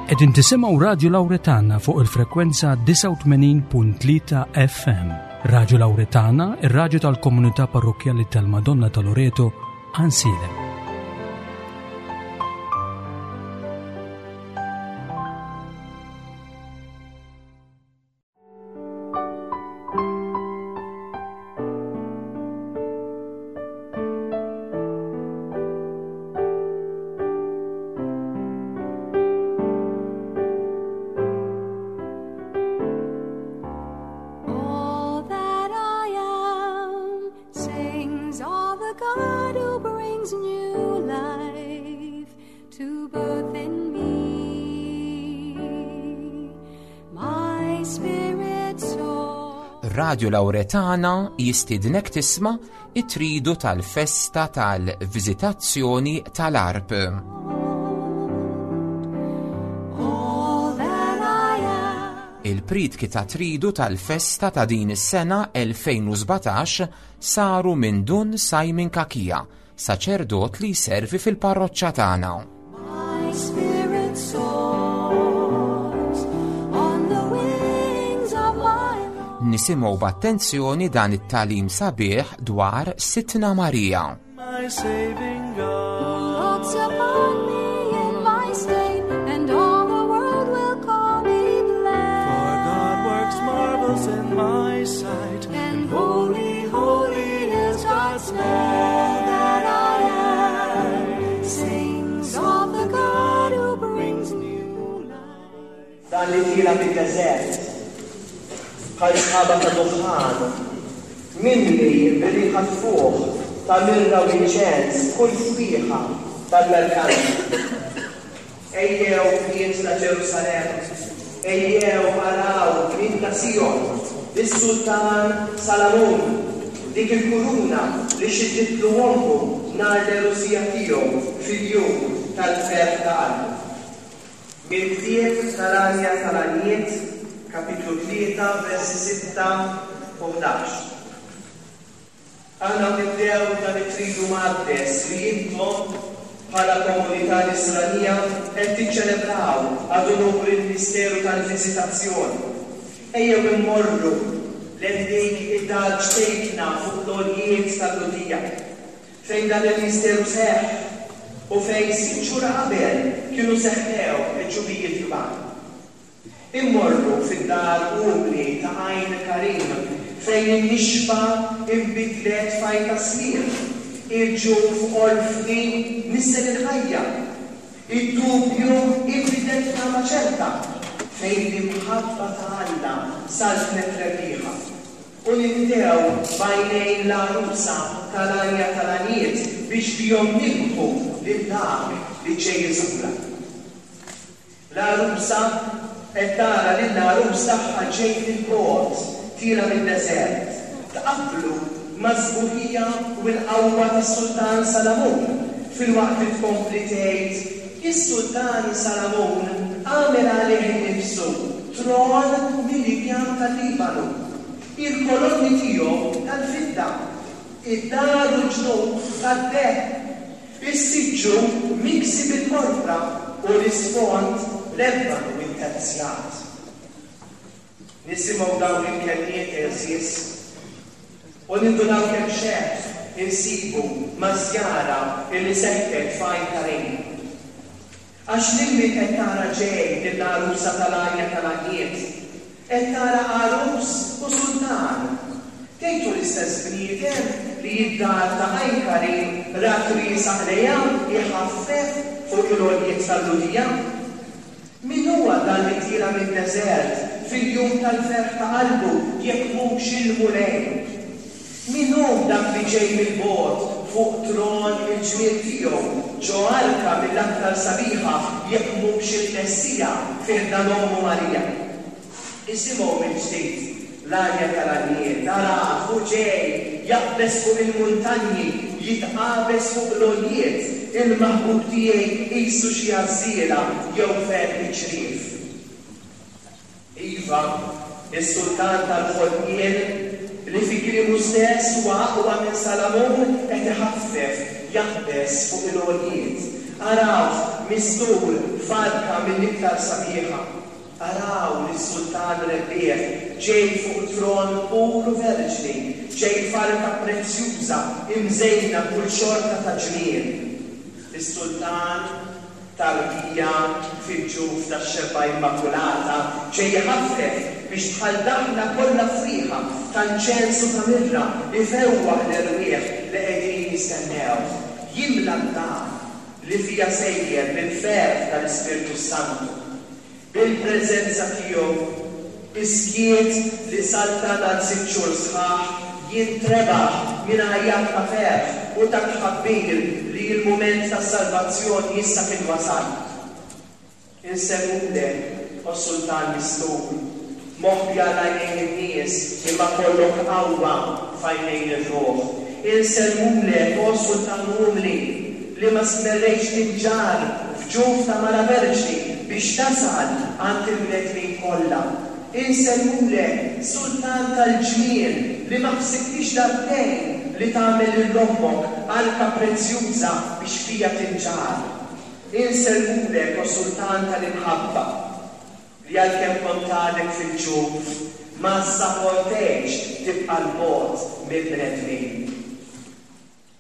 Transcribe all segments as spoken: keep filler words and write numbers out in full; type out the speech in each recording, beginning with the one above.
Qegħdin tisimgħu Radio Lauretana fuq il-frekwenza disgħa u tmenin punt tlieta F M. Radio Lauretana, ir-radju tal-Komunità Parrokkjali tal-Madonna ta' Loreto, Għajnsielem. All that I am sings of the God who brings new life to birth in me. My spirit soars. Radio Lauretana jistidnek tisma' it-tridu tal-festa tal-Viżitazzjoni tal-Għarb. All that I am. Il-priedki ta' tridu tal-festa ta' din is-sena elfejn u sbatax saru minn Dun Simon Cachia, saċerdot li jservi fil-parroċċa tagħna. My spirit soars on the wings of my love. Nisimgħu b'attenzjoni dan it-tagħlim sabiħ dwar Sidtna Marija. My saving God. Looks upon me in my state, and all the world will call me For blessed. God works marvels in my sight, And holy, holy is God's name. All that I am sings of the God who brings new life. Dan li tiela' mid-deżert, bħal sħaba ta' duħħan, mimli bir-riħa tfuħ ta' mirra u inċens, kull fwieħa tal-merkanti. Ejjew, bniet ta' Ġerusalemm, ejjew araw, bniet ta' Sion, is-Sultan Salamun, dik il-kuruna li xidditlu ommu nhar l-għerusija tiegħu fil-jum tal-ferħ ta' qalbu. Mill-ktieb tal-Għanja tal-Għanjiet, kapitlu tlieta, versi sitta u ħdax. Aħna nibdew dan it-tridu mqaddes li intom bħala komunità nisranija qed tiċċelebraw ad unur il-misteru tal-Viżitazzjoni. Ejjew immorru lejn dik id-dar ċkejkna fuq l-għoljiet tal-Lhudija, fejn dan il-misteru seħħ u fejn sitt xhur qabel kienu seħħew il-għeġubijiet kbar. Immorru fid-dar umli ta' Għajn Karim, fejn in-nixfa inbidlet f'għajta sliem, il-ġuf orfni nissel il-ħajja, id-dubju inbidel f'tama ċerta, fejn l-imħabba ta' Alla saltnet rebbieħa. U nibdew b'għajnejn l-għarusa tal-Għanja tal-Għanjiet biex bihom nilmħu lil dak li ġej iżurha. L-għarusa qed tara lil għarus tagħha ġej mill-bogħod, tiela' mid-deżert. Tqabblu mas-sbuħija u l-qawwa tas-Sultan Salamun, filwaqt li tkompli tgħid: is-Sultan Salamun għamel għalih innifsu tron mill-injam tal-Libanu. Il-kolonni tiegħu tal-fidda, id-dar u l-ġnub tad-deheb, is-siġġu miksi bil-porpra u l-isfond l-ebanu interzjat. Nisimgħu dawn il-kelmiet, għeżież, u nindunaw kemm xebh insibu maż-żjara illi seħħet f'Għajn Karim. Għax lil min qed tara ġej lill-għarusa tal-Għanja tal-Għanjiet, qed tara għarus u sultan. Tgħidu l-istess bniedem li d-dar ta' Għajn Karim rat riesaq lejha jħaffef fuq il-għoljiet tal-Lhudija? Min huwa dan li tiela' mid-deżert fil-jum tal-ferħ ta' qalbu jekk mhux il-Mulej? Min hu dak li ġej mill-bogħod fuq tron il-ġmiel tiegħu ġo arka mill-aktar sabiħa jekk mhux il-Messija fi ħdan ommu Marija? Isimgħu mill-ġdid l-Għanja tal-Għanjiet: arah hu ġej jaqbeż fuq il-muntanji, jitqabeż fuq l-għoljiet, il-maħbub tiegħi qisu xi għażżiela jew ferħ iċ-ċriev. Iva, is-sultan tal-ħolqien li fi kliemu stess huwa aqwa minn Salamun qed iħaffef jaqbeż fuq il-għoljiet. Arawh mistur f'arka mill-iktar sabiħa. Araw lis-sultan rebbieħ ġej fuq tron pur u verġni, ġej f'arka prezzjuża imżejna kull xorta ta' ġmiel. Is-sultan tarbija fil-ġuf tax-xebba immakulata ġej ħaffef biex bħal daħla kollha friħa ta' inċensu ta' mirra ifewwaħ l-erwieħ li qegħdin jistennew. Jimla d-dar li fija sejjer bil-ferħ tal-Ispirtu Santu. Bil-preżenza tiegħu is-skiet li saltan għal sitt xhur sħaħ jintrebaħ minn għajat ta' ferħ u ta' tħabbir li l-mument tas-salvazzjoni issa kien wasal. Insellmulek, o Sultan mistur, moħbi għal għajnejn in-nies imma kollok qawwa f'għajnejn ir-ruħ. Insellmulek, o Sultan umli, li ma stmerrejtx tinġarr f'ġuf ta' mara verġni biex tasal għand il-bnedmin kollha. Insellmulek, Sultan tal-ġmiel, li ma ħsibtix darbtejn li tagħmel lil ommok arka prezzjuża biex fija tinġarr. Insellmulek, o Sultan tal-imħabba, li għalkemm kont għadek fil-ġuf, ma ssaportejtx tibqa' 'l bogħod mill-bnedmin.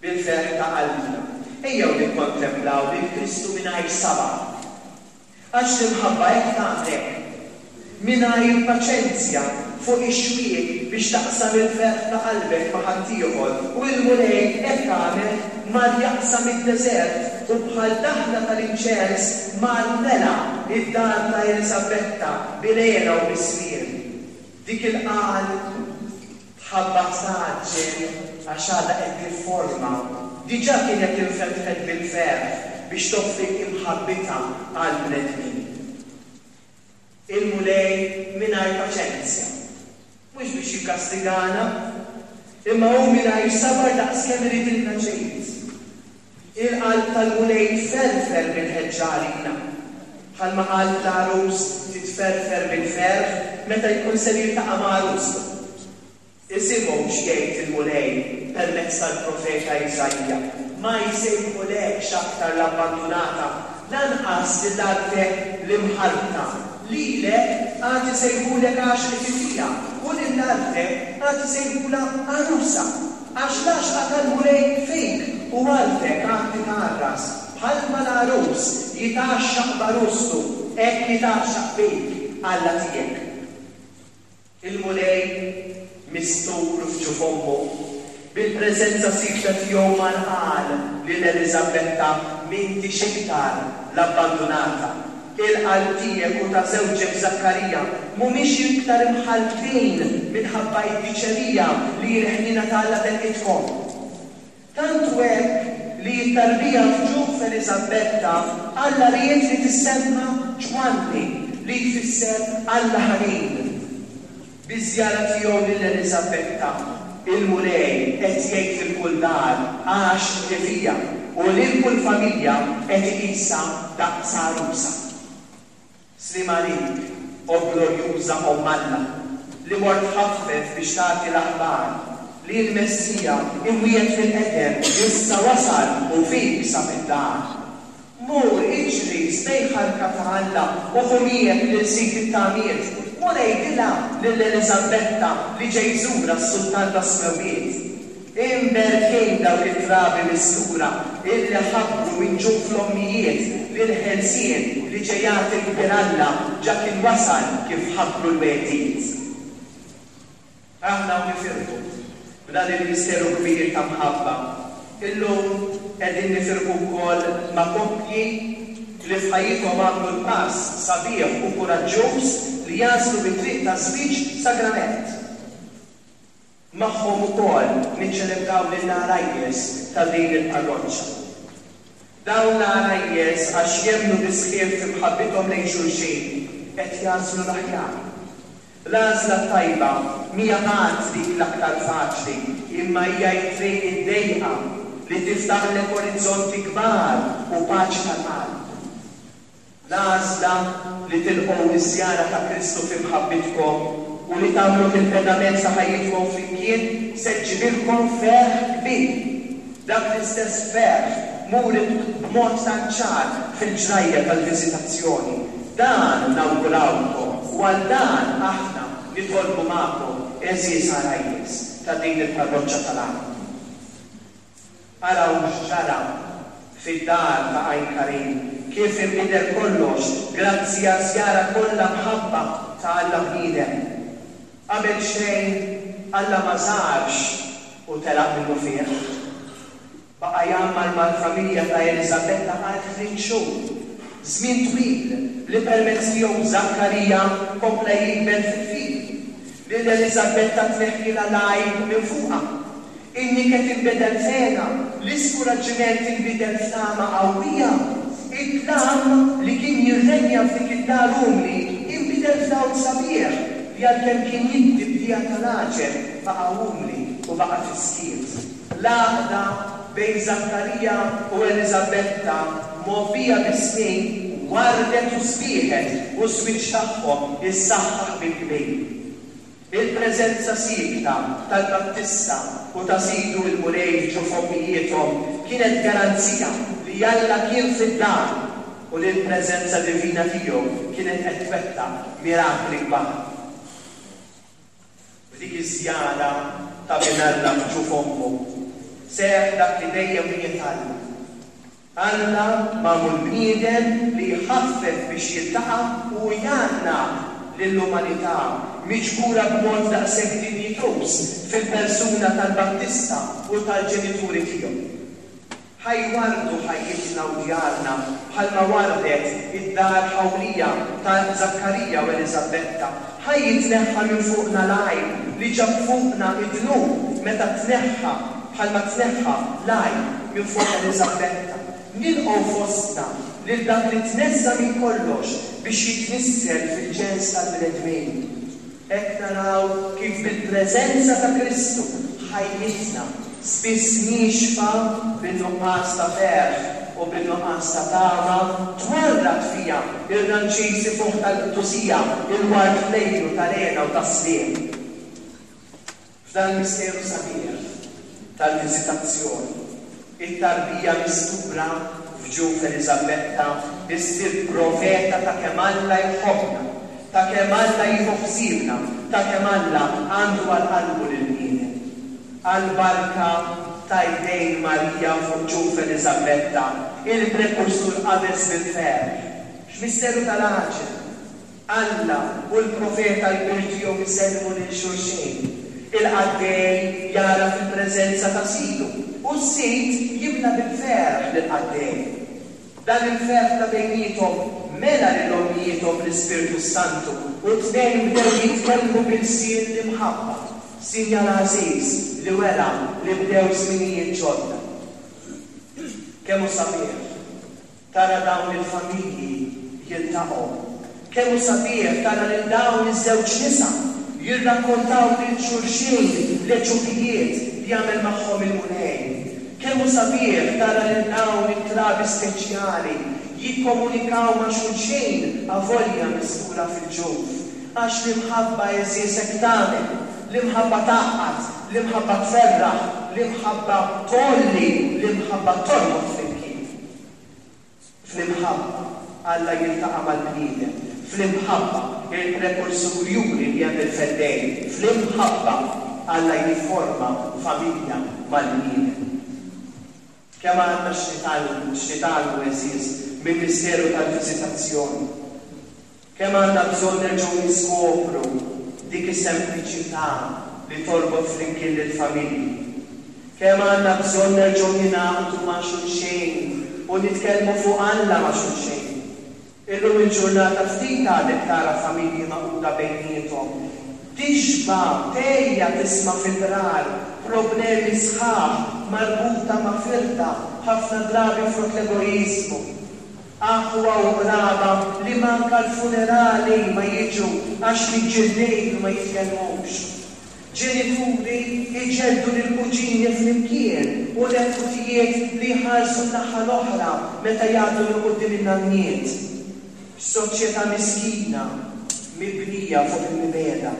Bil-ferħ ta' qalbna, ejjew nikkontemplaw lil Kristu mingħajr sabar. Għax l-imħabba hekk tagħmlek, mingħajr paċenzja fuq ix-xwiek biex taqsam il-ferħ ta' qalbek ma' ħaddieħor, u l-Mulej hekk għamel mar jaqsam id-deżert u bħal daħla tal-inċens mar mela id-dar ta' Eliżabetta bil-hena u bis-smien. Dik il-qalb tħabbat tgħaġġel għax għadha qed tifforma, diġà kienet infetħet bil-ferħ biex toffri imħabbitha għall-bnedmin. Il-Mulej mingħajr paċenzja, mhux biex jikkastigana, imma hu mingħajr sabar daqskemm iridilna ġid. Il-qalb tal-Mulej tferfer bil-ħeġġa għalina, bħalma qalb l-għarus titferfer bil-ferħ meta jkun ser jiltaqa' ma' għarustu. Isimgħu x'jgħid il-Mulej permezz tal-profeta Iżaija: ma jsejħulekx aktar l-abbandunata, lanqas lil artek l-imħarbta. Lilek għad isejħulek għaxqet fija, u lil artek għad isejħula għarusa, għax l-għaxqa tal-Mulej fik u artek għad titgħarras. Bħalma l-għarus jitgħaxxaq b'għarustu, hekk jitgħaxxaq bik Alla tiegħek. Il-Mulej mistur f'ġuf ommu, bil-preżenza sikta tiegħu mar qal lil Eliżabetta: m'intix iktar l-abbandunata. Il-qalb tiegħek u ta' żewġek Żakkarija mhumiex iktar imħalltin minħabba id-diċerija li l-ħniena ta' Alla telqitkom. Tant hu hekk li t-tarbija f'ġuf Eliżabetta Alla ried li tissemma Ġwanni, li jfisser Alla ħanin. Biż-żjara tiegħu lil Eliżabetta, il-Mulej qed jgħid lil kull dar għax fija u lil kull familja qed iqisha daqs għarusa. Sliem għalik, o glorjuża Omm Alla, li mort ħaffef biex tagħti l-aħbar li l-Messija imwiegħed fil-qedem issa wasal u fik sab id-dar. Mur iġri sbejħa arka ta' Alla u ħu miegħek lil sid it-tamiet. Mur għidilha lil Eliżabetta li ġej jżurha s-Sultan tas-Smewwiet. Imberkin dawk it-trabi mistura illi ħabbru minn ġuf l-ommijiet li l-ħelsien li ġej jagħti l-kbir Alla ġa kien wasal kif ħabbru l-wegħdiet. Aħna u nifirħu b'dan il-misteru kbir ta' mħabba. Illum qegħdin nifirħu wkoll ma' koppji li f'ħajjithom għamlu l-pass sabiħ u kuraġġuż li jagħżlu bit-triq ta' żwieġ sagrament. Magħhom ukoll niċċelebraw lill-għarajjes ta' din il-parroċċa. Dawn l-għarajjes għax jemmnu bis-sħiħ f'imħabbithom lejn xulxin qed jagħżlu l-aħjar. L-għażla tajba mhija qatt dik l-aktar faċli, imma hija t-triq id-dejqa li tiftaħlek orizzonti kbar u paċi tal-qalb. L-għażla li tilqgħu iż-żjara ta' Kristu fi mħabbitkom u li tagħmlu fil-pedament sa ħajjitkom flimkien se ġġibilkom ferħ kbir. Dak l-istess ferħ muri b'mod tant ċar fil-ġrajja tal-viżitazzjoni. Dan nawgurawlkom u għal dan aħna nitolbu magħkom, għeżież għarajjes ta' din il-parroċċa tal-Għajn. Araw x'ġara fid-dar ta' Għajn Karim, kif inbidel kollox grazzi għaż-żjara kollha mħabba ta' Alla bniedem. Qabel xejn, Alla ma żarx u telaq minnufih. Baqa' jgħammar mal-familja ta' Eliżabetta għal tliet xhur, żmien twil li permezz tiegħu Żakkarija kompla jikber fil-fidi. Lil Eliżabetta tneħħilha l-għajb minn fuqha. In-niket inbidel f'hena, l-iskuraġġiment inbidel f'tama qawwija. Id-dlam li kien jirrenja f'dik id-dar umli inbidel f'dawl sabiħ li għalkemm kien jiddi b'dija tal-għaġeb baqa' umli u baqa' fis-skiet. L-għaqda bejn Żakkarija u Eliżabetta mgħobbija bis-snin wardet u sbieħet u ż-żwieġ tagħhom issaħħaħ bil-kbir. Il-preżenza siekta tal-Battista u ta' Sidu l-Mulej f'ġuf ommijiethom kienet garanzija li Alla kien fid-dar u li l-preżenza divina tiegħu kienet qed twettaq mirakli kbar. F'dik iż-żjara ta' Bin Alla f'ġuf ommu, seħħ dak li dejjem wiegħed Alla. Alla magħmul bniedem li jħaffef biex jiltaqa' u jgħannaq lill-umanità miġbura b'mod daqshekk dinjituż fil-persuna tal-Battista u tal-ġenituri tiegħu. Ħa jwarrdu ħajjitna u djarna bħalma wardet id-dar ħawlija ta' Żakkarija u Eliżabetta. Ħa jitneħħa minn fuqna l-għajb li ġab fuqna id-dnub meta tneħħa bħalma tneħħa l-għajb minn fuq Eliżabetta. Nilqgħu fostna lil dak li tneżża' minn kollox biex jitnissel fil-ġens tal-bnedmin. Hekk naraw kif bil-preżenza ta' Kristu ħajjitna, spiss niexfa bin-nuqqas ta' ferħ u bin-nuqqas ta' tama, twarrad fiha ir-ranċis ifuħ tal-qdusija, il-ward flejlu tal-hena u tas-sliem. F'dan il-misteru sabiħ tal-viżitazzjoni, it-tarbija mistura f'ġuf Eliżabetta issir profeta ta' kemm Alla jħobbna, ta' kemm Alla jieħu ħsiebna, ta' kemm Alla għandu għal qalbu lill-bniedem. Għall-barka ta' jdejn Marija fuq ġuf Eliżabetta, il-prekursur qabeż bil-ferħ. X'misteru tal-għaġeb! Alla u l-profeta l-kbir tiegħu jsellmu lil xulxin. Il-qaddej jagħraf il-preżenza ta' sidu u s-sid jimla bil-ferħ lill-qaddej. Dan il-ferħ ta' bejniethom mela lil ommijiethom bl-Ispirtu s-Santu u t-tnejn bdew jitkellmu b'ilsien l-imħabba, sinjal għażiż li wera li bdew żminijiet ġodda. Kemm hu sabiħ tara dawn il-familji jiltaqgħu. Kemm hu sabiħ tara lil dawn iż-żewġ nisa jirrakkontaw lil xulxin l-għeġubijiet li għamel magħhom il-Mulej. Kemm hu sabiħ tara lil dawn it-trabi speċjali jikkomunikaw ma' xulxin avolja mistura fil-ġuf. Għax l-imħabba, għeżież, hekk tagħmel. L-imħabba tgħaqqad, l-imħabba tferraħ, l-imħabba tgħolli, l-imħabba torbot flimkien. Fl-imħabba Alla jiltaqa' mal-bniedem. Fl-imħabba il-prekursur juri li hemm il-Feddej. Fl-imħabba Alla jifforma familja mal-bniedem. Kemm għandna x'nitgħallmu, x'nitgħallmu, għeżież, mill-misteru tal-viżitazzjoni. Kemm għandna bżonn nerġgħu niskopru dik is-sempliċità li torbot flimkien lill-familji. Kemm għandna bżonn nerġgħu ningħaqdu ma' xulxin u nitkellmu fuq Alla ma' xulxin. Illum il-ġurnata ftit għadek tara familji magħquda bejniethom. Tixba' tgħejja tisma' fil-qrar problemi sħaħ marbuta ma' firda, ħafna drabi frott l-egoiżmu. Aħwa u qraba li manka l-funerali ma jiġu għax miġġildin u ma jitkellmux. Ġenituri jġelldu lill-kuġini flimkien u neputijiet li jħarsu n-naħa l-oħra meta jgħaddu minn quddiem in-nanniet. Soċjetà miskina mibnija fuq il-mibegħda.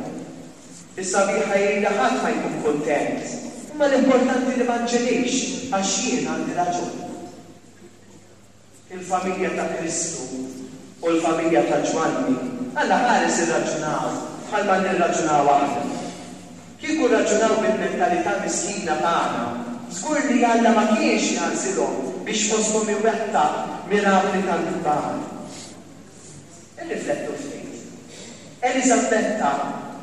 Is-sabiħa hi li ħadd ma jkun kuntent Imma l-importanti li ma nċedix għax jien għandi raġun. Il-familja ta' Kristu u l-familja ta' Ġwanni, Alla ħares irraġunaw bħalma nirraġunaw aħna. Kieku rraġunaw bil-mentalità miskina tagħna, żgur li Alla ma kienx jagħżilhom biex fosthom iwettaq mirakli tant kbar. Irriflettu ftit. Eliżabetta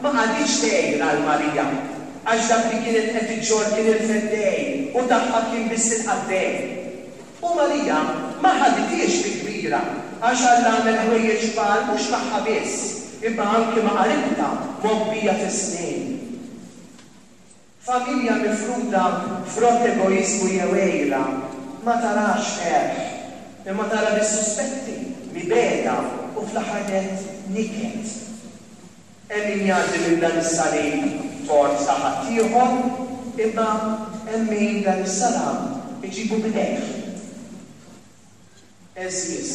ma qagħditx tgħir għal Marija, għax dak li kienet qed iġġorr kien il-Feddej u tagħha kien biss il-qaddej. U Marija ma ħadithiex bi kbira għax Alla għamel ħwejjeġ kbar mhux magħha biss, imma anki ma' qaribtha mgħobbija fis-snin. Familja mifruda frott egoiżmu jew għira ma tarax ferħ, imma tara biss suspetti, mibegħda u fl-aħħar nett niket. Hemm min jgħaddi minn dan is-salib tort ta' ħaddieħor, imma hemm min dan is-salam iġibu b'idejh. Għeżież,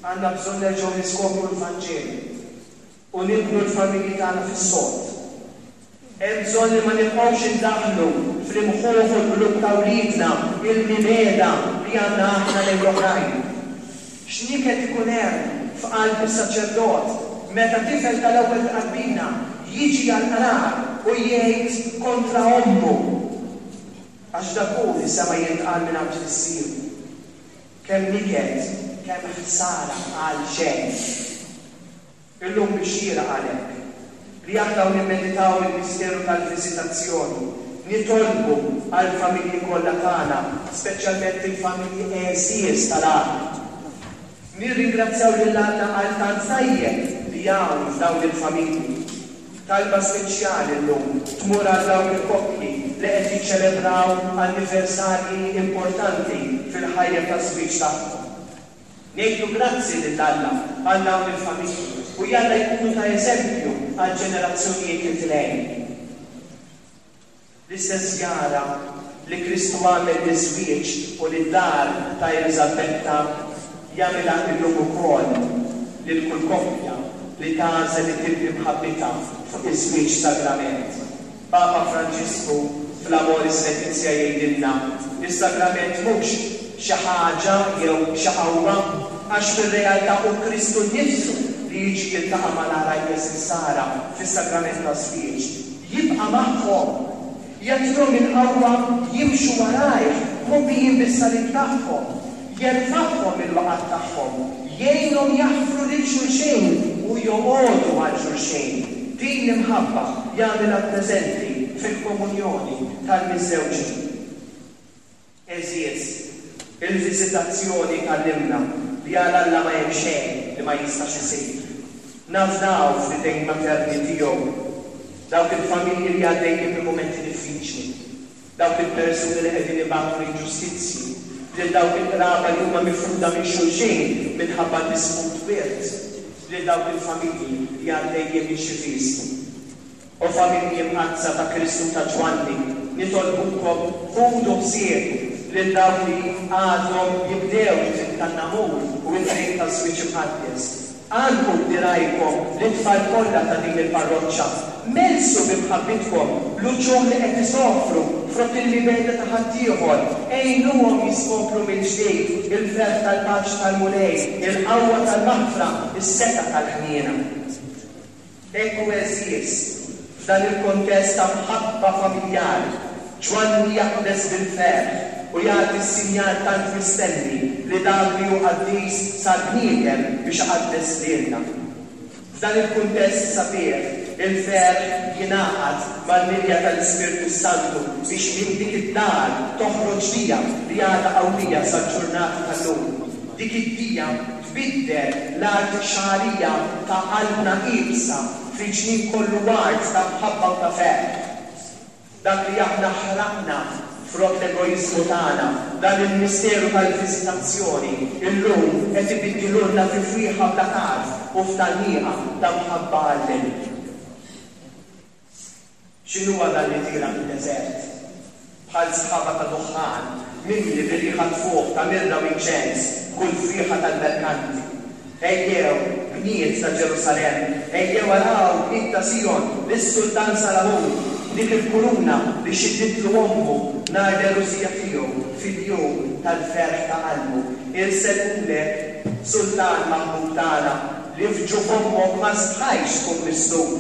għandna bżonn nerġgħu niskopru l-Vanġelu u nibnu l-familji tagħna fis-sod. Hemm bżonn li ma nibqgħux indaħħlu fl-imħuħ u l-qlub ta' wliedna il-mibegħda li għandna aħna lejn l-oħrajn. X'niket ikun hemm f'qalb is-saċerdot meta tifel tal-ewwel tqarbina jiġi għall-qrar u jgħid kontra ommu, għax dak hu li sema' jintqal minn għand missieru. Kemm niket, kemm ħsara għal xejn. Illum biex xieraq għalhekk li aħna u nimmeditaw il-misteru tal-viżitazzjoni, nitolbu għall-familji kollha tagħna, speċjalment il-familji għeżież tal-għaqal. Nirringrazzjaw lil Alla għal tant tajjeb li hawn f'dawn il-familji. Talba speċjali llum tmur għal dawk il-koppji li qed jiċċelebraw anniversarji importanti fil-ħajja taż-żwieġ tagħhom. Ngħidu grazzi lil Alla għal dawn il-familji u jalla jkunu ta' eżempju għal ġenerazzjonijiet li tilgħin. L-istess żjara li Kristu għamel liż-żwieġ u lid-dar ta' Eliżabetta jagħmilha illum ukoll lil kull koppja li tagħżel li tibni mħabbitha fuq iż-żwieġ sagrament. Papa Franġisku fl-Amoris Laetitia jgħidilna li s-sagrament mhux xi ħaġa jew xi qawwa, għax fir-realtà hu Kristu nnifsu li jiġi jiltaqa' mal-għarajjes insara fis-sagrament taż-żwieġ. Jibqa' magħhom, jagħtihom il-qawwa jimxu warajh mgħobbijin bis-salib tagħhom, jerfagħhom mill-waqgħat tagħhom, jgħinhom jaħfru lil xulxin u joqogħdu għal xulxin. Din l-imħabba jagħmilha preżenti fil-komunjoni tal-miżżewġin. Għeżież, il-viżitazzjoni tgħallimna li għal Alla ma hemm xejn li ma jistax isir. Nafdaw fl-idejn materni tiegħu dawk il-familji li għaddejjin minn mumenti diffiċli, dawk il-persuni li qegħdin ibatu l-inġustizzji, lil dawk il-qraba li huma mifruda minn xulxin minħabba disput wirt, lil dawk il-familji li għaddejjin minn xi vistu. O familji mqaddsa ta' Kristu ta' Ġwanni, nitolbukom ħudu ħsieb lil dawk li għadhom jibdew it-triq tan-namur u t-triq taż-żwieġ imqaddes. Għannqu b'dirgħajkom lit-tfal kollha ta' din il-parroċċa. Mellsu bi mħabbitkom l-uċuħ li qed isofru frott il-mibegħda ta' ħaddieħor. Għinuhom jiskopru mill-ġdid il-ferħ tal-paċi tal-Mulej, il-qawwa tal-maħfra, is-setgħa tal-ħniena. Hekk hu għeżież, f'dan il-kontest ta' mħabba familjari, Ġwanni jaqbeż bil-ferħ u jagħti s-sinjal tant mistenni li dak li hu qaddis sar bniedem biex iqaddes lilna. F'dan il-kuntest sabiħ, il-ferħ jingħaqad mal-milja tal-Ispirtu s-Santu biex minn dik id-dar toħroġ dija li għadha qawwija sal-ġurnata tal-lum. Dik id-dija tbiddel l-art xagħrija ta' qalbna iebsa fi ġnien kollu ward ta' mħabba u ta' ferħ. Dak li aħna ħraqna frott l-egoiżmu tagħna, dan il-misteru tal-viżitazzjoni, illum qed ibiddilulna fi fwieħa bla tarf u f'tgħanniqa ta' mħabba għall-għelieq. X'inhuwa dan li tiela' mid-deżert? Bħal sħaba ta' duħħan, mimli bir-riħa tfuħ ta' mirra u inċens, b'kull fwieħa tal-merkanti. Ejjew, bniet ta' Ġerusalemm, ejjew araw, bniet ta' Sijon, lis-Sultan Salamun. dik il-kuruna li xidditlu ommu nhar l-għerusija tiegħu fil-jum tal-ferħ ta' qalbu. Insellmulek, Sultan maħbub tagħna, li f'ġuf ommok ma stħajtx tkun mislub,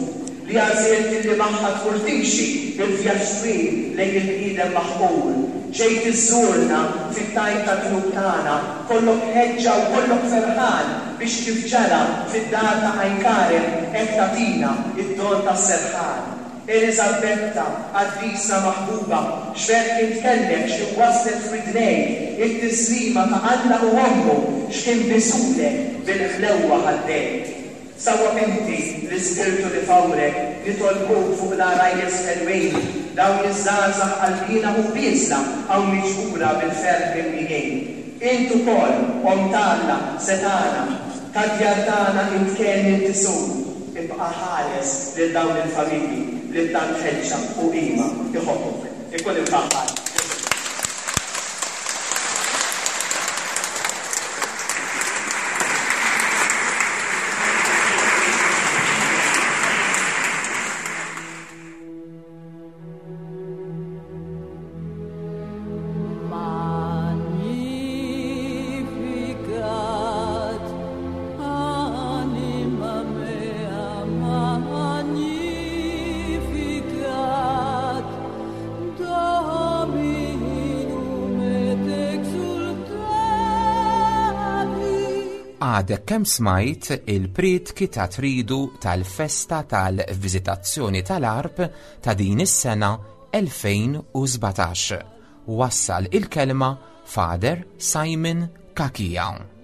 li għażilt illi magħha tmur timxi il-vjaġġ twil lejn il-bniedem maħqur. Ġejt iżżurna fit-tajn tad-dnub tagħna, kollok ħeġġa u kollok ferħan biex kif ġara fid-dar ta' Għajn Karem hekk tagħtina d-don tas-serħan. Eliżabetta, qaddisa maħbuba, x'ferħ int kellek x'ħin waslet f'widnejk it-tislima ta' Alla u ommu x'ħin bisulek bil-ħlewwa ħaddejk. Sawwab inti l-Ispirtu li fawrek, nitolbuk fuq l-għarajjes ħelwin, dawn iż-żgħażagħ qalbiena u bieżla hawn miġbura bil-ferħ mimlijin. Int ukoll, Omm ta' Alla, setgħana, tad-djar tagħna int kenn inti sur, ibqa' ħares lil dawn il-familji li b'tant ħeġġa u qima jħobbuk. Ikun imfaħħar Ġesù. Magnificat, anima mea, magnificat, Dominum et exultavi. Għadek kemm smajt il-prietki ta' tridu tal-festa tal-viżitazzjoni tal-Għarb ta' din is-sena elfejn u sbatax. Wassal il-kelma Father Simon Cachia.